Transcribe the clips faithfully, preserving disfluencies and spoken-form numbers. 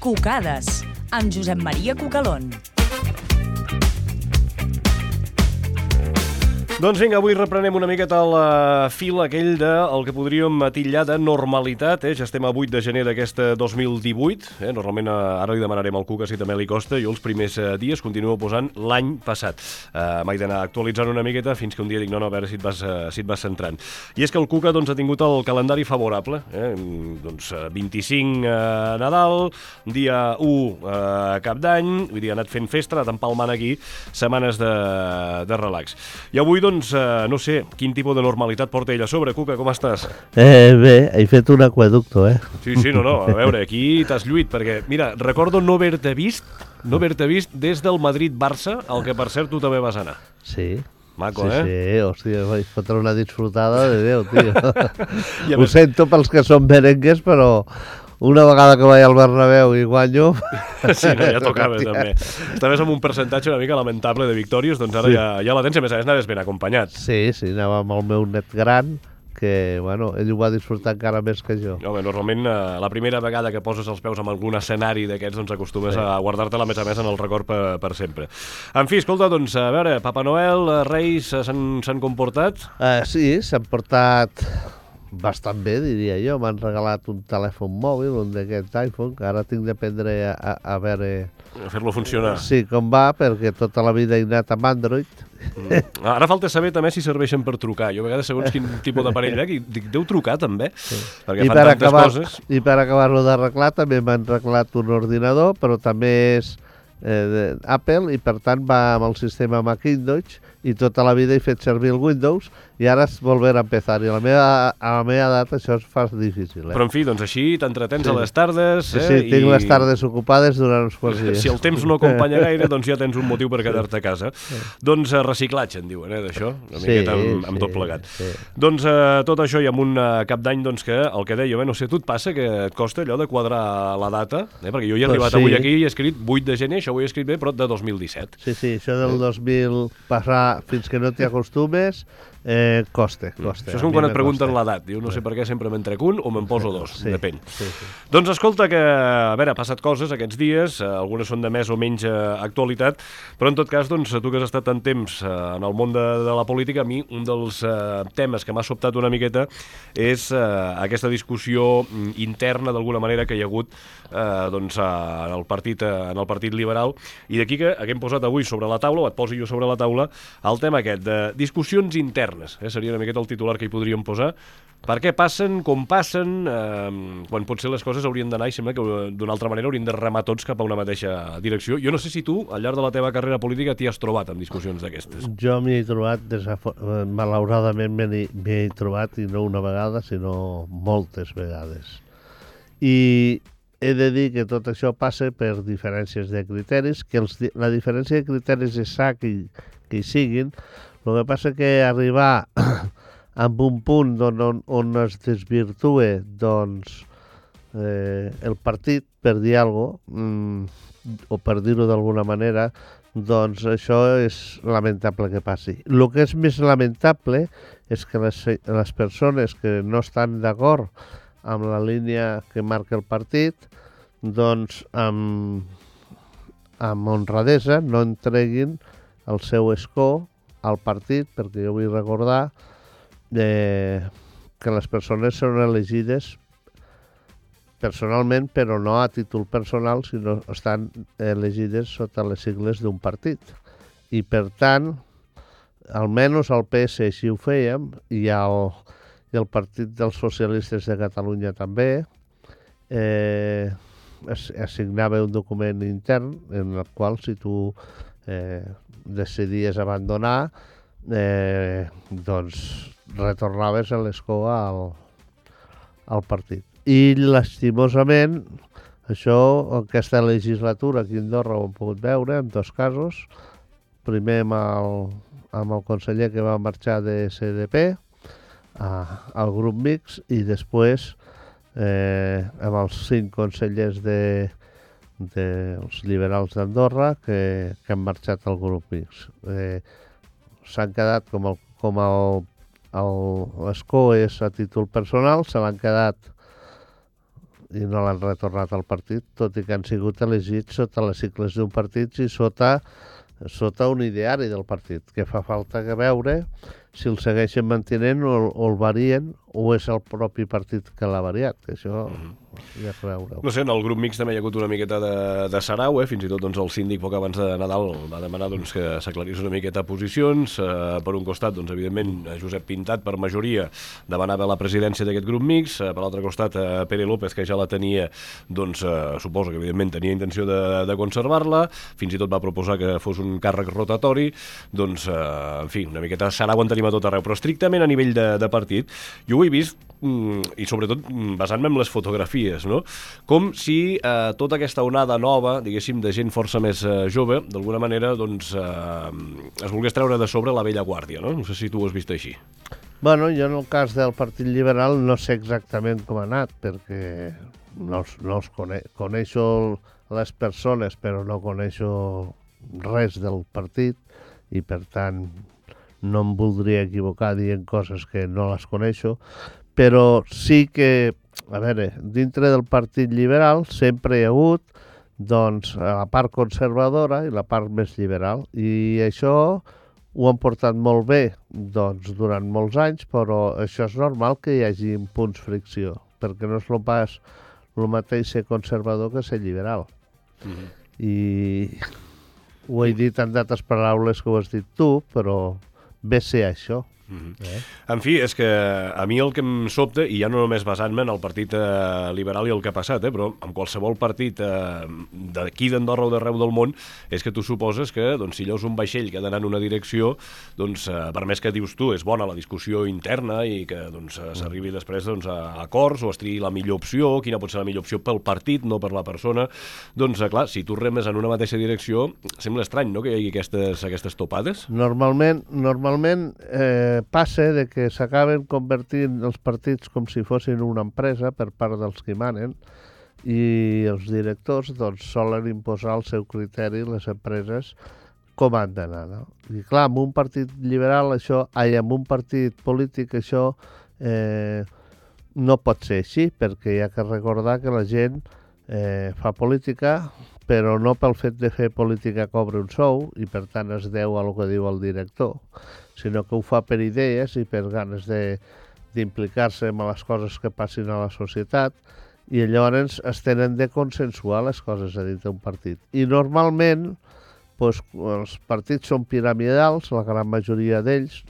Cucades, amb Josep Maria Cucalón. Doncs vinga, avui reprenem una miqueta el fil aquell del que podríem titllar de normalitat. Eh? Ja estem a vuit de gener d'aquest dos mil divuit. Eh? Normalment ara li demanarem al Cuca si també li costa. Jo els primers dies continuo posant l'any passat. Uh, M'he d'anar actualitzant una miqueta fins que un dia dic no, no, a veure si et vas, uh, si et vas centrant. I és que el Cuca doncs, ha tingut el calendari favorable. Eh? Doncs vint-i-cinc uh, Nadal, dia u uh, Cap d'Any, vull dir, ha anat fent festa, ha anat empalmant aquí setmanes de, de relax. I avui doncs, eh, no sé, quin tipus de normalitat porta ell a sobre. Cuca, com estàs? Eh, bé, he fet un aqueducto, eh? Sí, sí, no, no, a veure, aquí t'has lluit, perquè, mira, recordo no haver-te vist, no haver-te vist des del Madrid-Barça, al que, per cert, tu també vas anar. Sí. Maco, sí, eh? Sí, hòstia, vaig fotre una disfrutada de Déu, tio. Ho més... sento pels que són merengues, però una vegada que vaig al Bernabéu i guanyo... Sí, no, ja tocava, també. Estaves amb un percentatge una mica lamentable de victòries, doncs ara sí. ja, ja la tens, a més a més anaves ben acompanyat. Sí, sí, anava amb el meu net gran, que, bueno, ell ho va disfrutar encara més que jo. Home, normalment, eh, la primera vegada que poses els peus en algun escenari d'aquests, doncs acostumes sí. a guardar-te-la més a més en el record per, per sempre. En fi, escolta, doncs, a veure, Papa Noel, Reis, s'han comportat? Uh, sí, s'han portat bastant bé, diria jo. M'han regalat un telèfon mòbil, un d'aquests iPhone, que ara tinc d'aprendre a, a, a veure... A fer-lo funcionar. Sí, com va, perquè tota la vida he anat amb Android. Mm. Ara falta saber també si serveixen per trucar. Jo a vegades, segons quin tipus d'aparell veig, dic, deu trucar també? Sí. Perquè I fan per tantes acabar, coses. I per acabar-lo d'arreglar també m'han arreglat un ordinador, però també és eh, Apple i per tant va amb el sistema Macintosh i tota la vida he fet servir el Windows i ara és volver a empezar. I a la meva, a la meva edat això es fa difícil. Eh? Però en fi, doncs així t'entretens sí. a les tardes. Sí, eh? sí, tinc I... les tardes ocupades durant uns quants dies. Si el temps no acompanya gaire, doncs ja tens un motiu per quedar-te a casa. Sí. Doncs uh, reciclatge, en diuen, eh, d'això, una sí, miqueta amb, amb sí, tot plegat. Sí. Doncs uh, tot això i amb un uh, cap d'any, doncs que el que deia, eh, no sé, tu et passa que et costa allò de quadrar la data, eh? Perquè jo hi he arribat pues sí. avui aquí i he escrit vuit de gener, això ho he escrit bé, però de dos mil disset. Sí, sí, això del dos mil passar fins que no t'hi acostumes, eh, costa, costa. Això és com quan et pregunten l'edat. Diu, no sé per què sempre me'n trec un o me'n poso dos, sí, depèn. Sí, sí. Doncs escolta que, a veure, ha passat coses aquests dies, eh, algunes són de més o menys eh, actualitat, però en tot cas, doncs, tu que has estat tant temps eh, en el món de, de la política, a mi un dels eh, temes que m'ha sobtat una miqueta és eh, aquesta discussió interna, d'alguna manera, que hi ha hagut eh, doncs, en, el partit, eh, en el Partit Liberal, i d'aquí que haguem posat avui sobre la taula, o et posi jo sobre la taula, el tema aquest de discussions internes. Eh? Seria una miqueta el titular que hi podríem posar. Per què passen, com passen, eh, quan potser les coses haurien d'anar i sembla que d'una altra manera haurien de remar tots cap a una mateixa direcció. Jo no sé si tu, al llarg de la teva carrera política, t'hi has trobat en discussions d'aquestes. Jo m'hi he trobat, malauradament m'hi he trobat, i no una vegada, sinó moltes vegades. I he de dir que tot això passa per diferències de criteris, que els, la diferència de criteris és sa que, que hi siguin. El que passa que arribar amb un punt on, on, on es desvirtue doncs, eh, el partit, per dir alguna cosa, mm, o per dir-ho d'alguna manera, doncs això és lamentable que passi. El que és més lamentable és que les, les persones que no estan d'acord amb la línia que marca el partit, doncs amb, amb honradesa no entreguin el seu escó al partit, perquè jo vull recordar eh, que les persones són elegides personalment, però no a títol personal, sinó estan elegides sota les sigles d'un partit. I per tant, almenys al P S així ho fèiem, i el, i el Partit dels Socialistes de Catalunya també, eh, es, assignava un document intern en el qual si tu eh, decidies abandonar, eh, doncs retornaves l'escó al, al partit. I lastimosament, això, aquesta legislatura aquí a Andorra ho hem pogut veure en dos casos. Primer amb el, amb el conseller que va marxar de C D P a, al grup mixt, i després eh, amb els cinc consellers de, dels liberals d'Andorra que, que han marxat al grup mixt. Eh, s'han quedat com el, com el l'escó és a títol personal, se l'han quedat i no l'han retornat al partit, tot i que han sigut elegits sota les sigles d'un partit i sota, sota un ideari del partit, que fa falta que veure si el segueixen mantenint o, o el varien o és el propi partit que l'ha variat, que això ja es veure. No sé, en el grup mixt també hi ha hagut una miqueta de, de sarau, eh? Fins i tot doncs, el síndic poc abans de Nadal va demanar doncs, que s'aclarís una miqueta posicions. Eh, per un costat, doncs, evidentment, Josep Pintat, per majoria, demanava la presidència d'aquest grup mixt. Eh, per l'altre costat, eh, Pere López, que ja la tenia, doncs, eh, suposo que, evidentment, tenia intenció de, de conservar-la. Fins i tot va proposar que fos un càrrec rotatori. Doncs, eh, en fi, una miqueta de sarau en tenim a tot arreu. Però estrictament a nivell de, de partit, jo ho he vist, i sobretot basant-me en les fotografies, no? Com si eh, tota aquesta onada nova, diguéssim, de gent força més eh, jove, d'alguna manera, doncs, eh, es volgués treure de sobre la vella guàrdia, no? No sé si tu ho has vist així. Bueno, jo en el cas del Partit Liberal no sé exactament com ha anat, perquè no, els, no els cone coneixo les persones, però no coneixo res del partit, i per tant no em voldria equivocar dient coses que no les coneixo, però sí que, a veure, dintre del Partit Liberal sempre hi ha hagut doncs, la part conservadora i la part més liberal, i això ho han portat molt bé doncs, durant molts anys, però això és normal que hi hagi punts fricció, perquè no és el pas el mateix ser conservador que ser liberal. Mm-hmm. I ho he dit en d'altres paraules que ho has dit tu, però ve ser això. Mm-hmm. eh? En fi, és que a mi el que em sobta, i ja no només basant-me en el partit eh, liberal i el que ha passat, eh, però en qualsevol partit eh, d'aquí d'Andorra o d'arreu del món, és que tu suposes que doncs, si allò és un vaixell que ha d'anar en una direcció, doncs, eh, per més que dius tu, és bona la discussió interna i que doncs, s'arribi després doncs, a acords o es triï la millor opció, quina pot ser la millor opció pel partit, no per la persona, doncs, eh, clar, si tu remes en una mateixa direcció, sembla estrany, no?, que hi hagi aquestes, aquestes topades. Normalment, normalment eh, passa de que s'acaben convertint els partits com si fossin una empresa per part dels que manen, i els directors doncs, solen imposar el seu criteri a les empreses com han d'anar. No? I clar, en un partit liberal això, ai, en un partit polític això eh, no pot ser així, perquè hi ha que recordar que la gent eh, fa política, però no pel fet de fer política cobra un sou i per tant es deu a el que diu el director, sinó que ho fa per idees i per ganes d'implicar-se en les coses que passin a la societat, i llavors es tenen de consensuar les coses a dins d'un partit. I normalment doncs, els partits són piramidals, la gran majoria d'ells.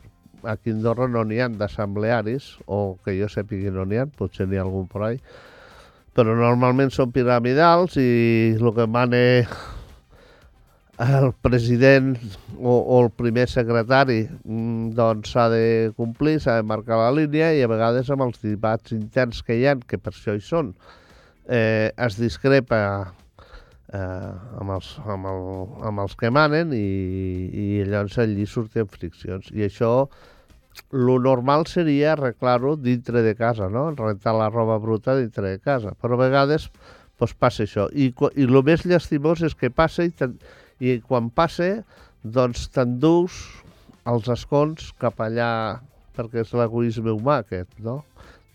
Aquí a Andorra no n'hi ha d'assemblearis, o que jo sàpiga no n'hi ha, potser n'hi ha algun per ahí, però normalment són piramidals i el que mana el president o, o el primer secretari doncs s'ha de complir, s'ha de marcar la línia, i a vegades amb els debats interns que hi ha, que per això hi són, eh, es discrepa eh, amb, els, amb, el, amb els que manen, i, i llavors allí surten friccions. I això, lo normal seria arreglar-ho dintre de casa, no? Rentar la roba bruta dintre de casa, però a vegades doncs, passa això. I, i el més llastimós és que passa i, i quan passa doncs t'endús els escons cap allà, perquè és l'egoisme humà aquest, no?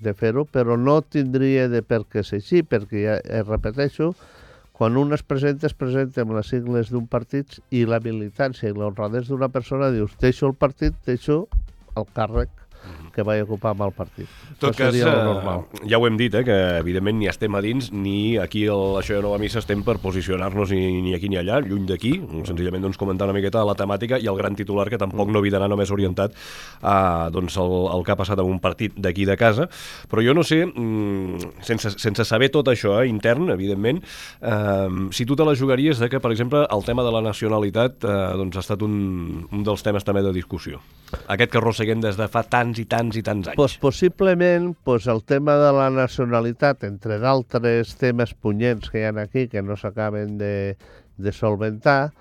De fer-ho, però no tindria de per què ser així, perquè ja eh, repeteixo, quan un es presenta, es presenta amb les sigles d'un partit i la militància i l'honradesa d'una persona, dius, deixo el partit, deixo el càrrec que vaig ocupar amb el partit. En tot cas, eh, ja ho hem dit, eh, que evidentment ni estem a dins, ni aquí el, això de Nova Missa estem per posicionar-nos ni, ni aquí ni allà, lluny d'aquí, senzillament doncs, comentar una miqueta la temàtica i el gran titular, que tampoc no havia d'anar només orientat a doncs, el, el que ha passat en un partit d'aquí de casa, però jo no sé, sense, sense saber tot això eh, intern, evidentment, eh, si tu te la jugaries de que, per exemple, el tema de la nacionalitat eh, doncs, ha estat un, un dels temes també de discussió. Aquest que arrosseguem des de fa tants i tants i tants anys. Pues possiblement pues el tema de la nacionalitat, entre d'altres temes punyents que hi ha aquí que no s'acaben de, de solventar,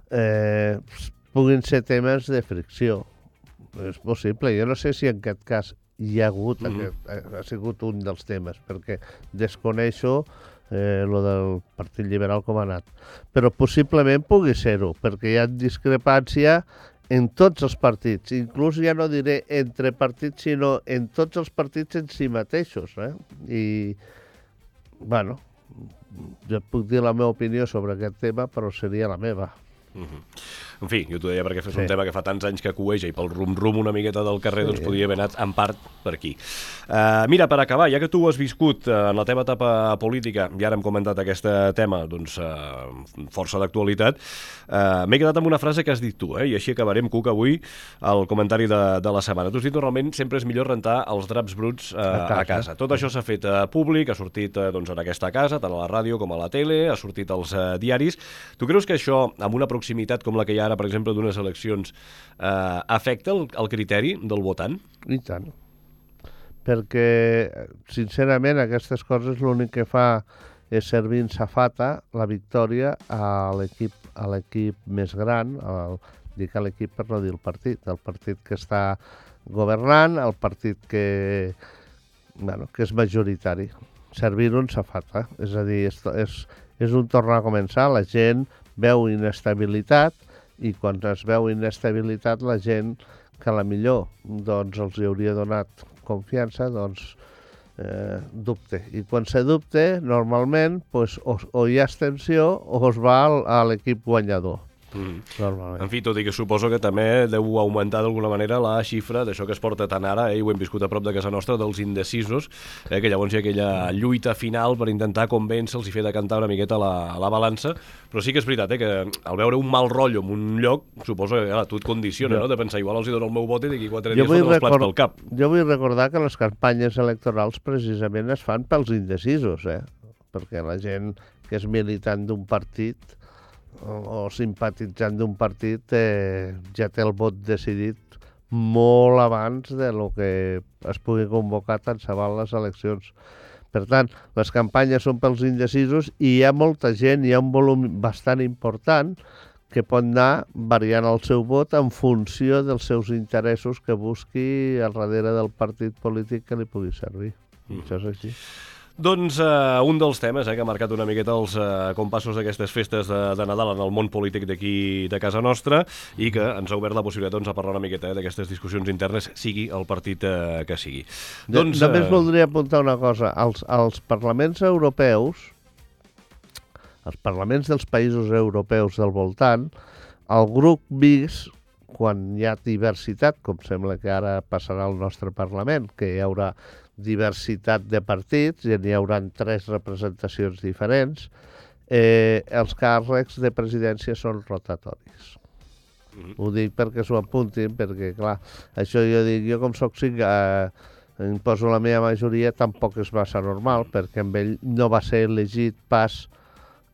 eh, puguin ser temes de fricció. És possible. Jo no sé si en aquest cas hi ha hagut, mm-hmm. aquest, ha sigut un dels temes, perquè desconeixo eh, lo del Partit Liberal com ha anat. Però possiblement pugui ser-ho, perquè hi ha discrepància en tots els partits, inclús ja no diré entre partits, sinó en tots els partits en si mateixos. Eh? I bueno, jo puc dir la meva opinió sobre aquest tema, però seria la meva. Uh-huh. En fi, jo t'ho deia perquè és Sí. un tema que fa tants anys que cueja i pel rum-rum una miqueta del carrer, Sí. doncs podria haver anat en part per aquí. Uh, mira, per acabar, ja que tu ho has viscut uh, en la teva etapa política, i ara hem comentat aquest tema, doncs, uh, força d'actualitat, uh, m'he quedat amb una frase que has dit tu, eh? I així acabarem, Cuc, avui, el comentari de, de la setmana. Tu has dit normalment sempre és millor rentar els draps bruts uh, a, casa. a casa. Tot això s'ha fet uh, públic, ha sortit uh, doncs, en aquesta casa, tant a la ràdio com a la tele, ha sortit als uh, diaris. Tu creus que això, amb una proximitat com la que hi ha ara, per exemple, d'unes eleccions, eh, afecta el, el criteri del votant? I tant. Perquè, sincerament, aquestes coses l'únic que fa és servir en safata la victòria a l'equip a l'equip més gran, al, dic a l'equip per no dir el partit, el partit que està governant, el partit que, bueno, que és majoritari. Servir-ho en safata. És a dir, és, és, és un tornar a començar, la gent veu inestabilitat i quan es veu inestabilitat la gent que a la millor doncs, els hi hauria donat confiança doncs eh, dubte. I quan se dubte, normalment pues, o, o hi ha abstenció o es va al, a l'equip guanyador. Mm. Normalment. En fi, tot i que suposo que també deu augmentar d'alguna manera la xifra d'això que es porta tant ara, eh, i ho hem viscut a prop de casa nostra, dels indecisos, eh, que llavors hi ha aquella lluita final per intentar convèncer-los i fer decantar una miqueta la, la balança, però sí que és veritat eh, que al veure un mal rotllo en un lloc, suposo que clar, tu et condiciona, Jo. no? De pensar, igual els hi dono el meu vot i d'aquí quatre Jo dies vull, foten els plats record... pel cap. jo vull recordar que les campanyes electorals precisament es fan pels indecisos, eh? Perquè la gent que és militant d'un partit o, o simpatitzant d'un partit eh, ja té el vot decidit molt abans de lo que es pugui convocar tant se val les eleccions. Per tant, les campanyes són pels indecisos i hi ha molta gent, hi ha un volum bastant important que pot anar variant el seu vot en funció dels seus interessos que busqui al darrere del partit polític que li pugui servir. Mm. Això és així. Doncs uh, un dels temes eh, que ha marcat una miqueta els uh, compassos d'aquestes festes de, de Nadal en el món polític d'aquí de casa nostra i que ens ha obert la possibilitat doncs, a parlar una miqueta eh, d'aquestes discussions internes, sigui el partit uh, que sigui. De, Doncs, només uh... voldria apuntar una cosa. Els, els parlaments europeus, els parlaments dels països europeus del voltant, el grup mixt, quan hi ha diversitat, com sembla que ara passarà al nostre Parlament, que hi haurà diversitat de partits i n'hi haurà tres representacions diferents, eh, els càrrecs de presidència són rotatoris. Mm-hmm. Ho dic perquè s'ho apuntin, perquè, clar, això jo dic, jo com soc cinc, eh, imposo la meva majoria, tampoc és massa normal, perquè amb ell no va ser elegit pas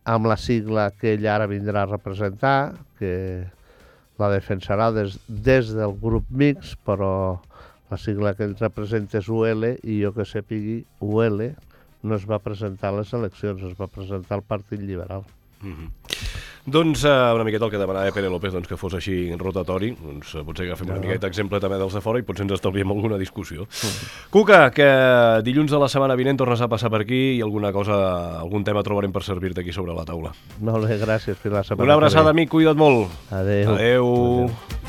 amb la sigla que ell ara vindrà a representar, que la defensarà des, des del grup mixt, però la sigla que ell representa és U L i jo que sàpigui, U L no es va presentar a les eleccions, es va presentar al Partit Liberal. Mm-hmm. Doncs uh, una miqueta el que demanava Pere López, doncs, que fos així rotatori, doncs uh, potser agafem no. una miqueta exemple també dels de fora i potser ens estalviem alguna discussió. Mm-hmm. Cuca, que dilluns de la setmana vinent tornes a passar per aquí i alguna cosa, algun tema trobarem per servir-te aquí sobre la taula. Molt bé, gràcies. Fins la setmana una abraçada, amic, cuida't molt. Adéu. Adéu. Adéu.